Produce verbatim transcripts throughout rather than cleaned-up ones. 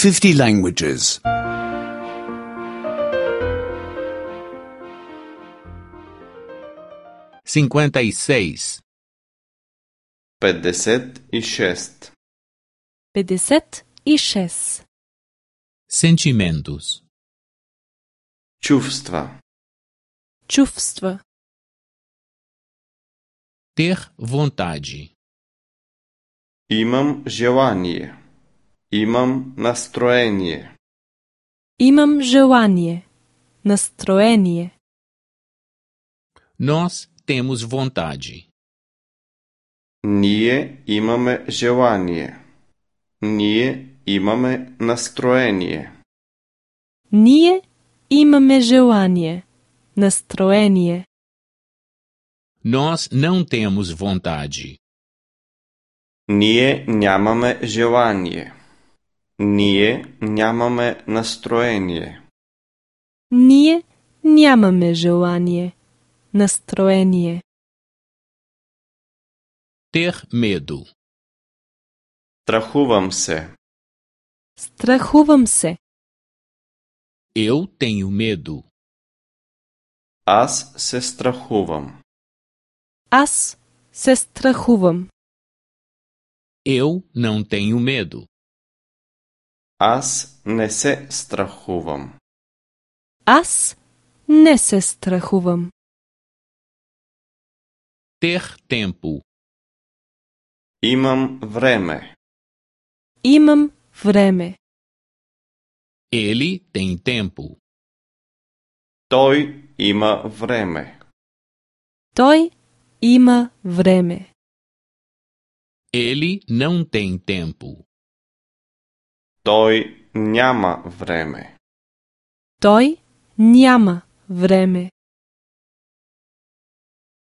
fifty languages. cinquenta e seis. петдесет и шест. петдесет и шест. Sentimentos. Чувства. Чувства. Ter vontade. Имам желание. Имам настроение. Имам желание. Настроение. Nós temos vontade. Ние имаме желание. Ние имаме настроение. Ние имаме желание. Настроение. Nós não temos vontade. Ние нямаме желание. Ние нямаме настроение. Ние нямаме желание. Настроение. Ter medo. Страхувам се. Страхувам се. Eu tenho medo. Аз се страхувам. Аз се страхувам. Eu não tenho medo. Аз не се страхувам. Аз не се страхувам. Ter tempo. Имам време. Имам време. Ele tem tempo. Той има време. Той има време. Ele não tem tempo. Той няма време. Той няма време.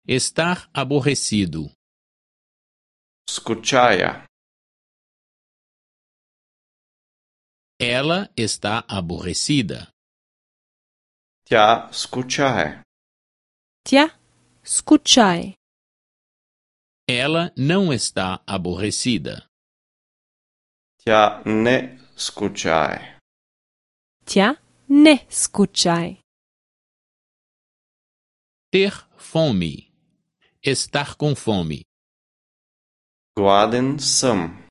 Estar aborrecido. Скучая. Ela está aborrecida. Тя скучае. Тя скучае. Ela não está aborrecida. Тя не скучае. Тя не скучае. Ter fome. Estar com fome. Гладен съм.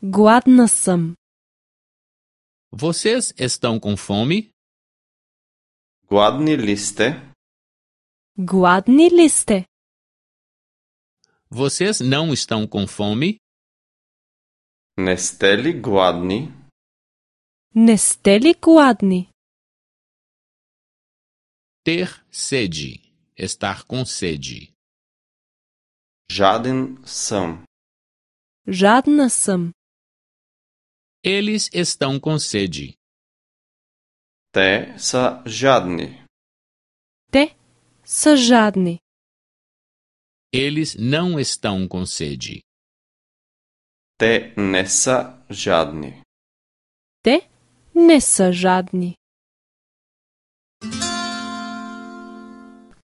Гладна съм. Vocês estão com fome? Гладни ли сте? Гладни ли сте? Vocês não estão com fome? Не сте ли гладни? Не сте ли гладни? Ter sede. Estar com sede. Жаден съм. Жадна съм. Eles estão com sede. Те са жадни. Те са жадни. Eles não estão com sede. Те не са жадни. Те не са жадни.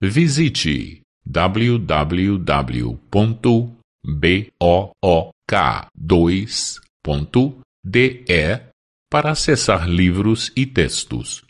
Visite w w w ponto book dois ponto d e para acessar livros e textos.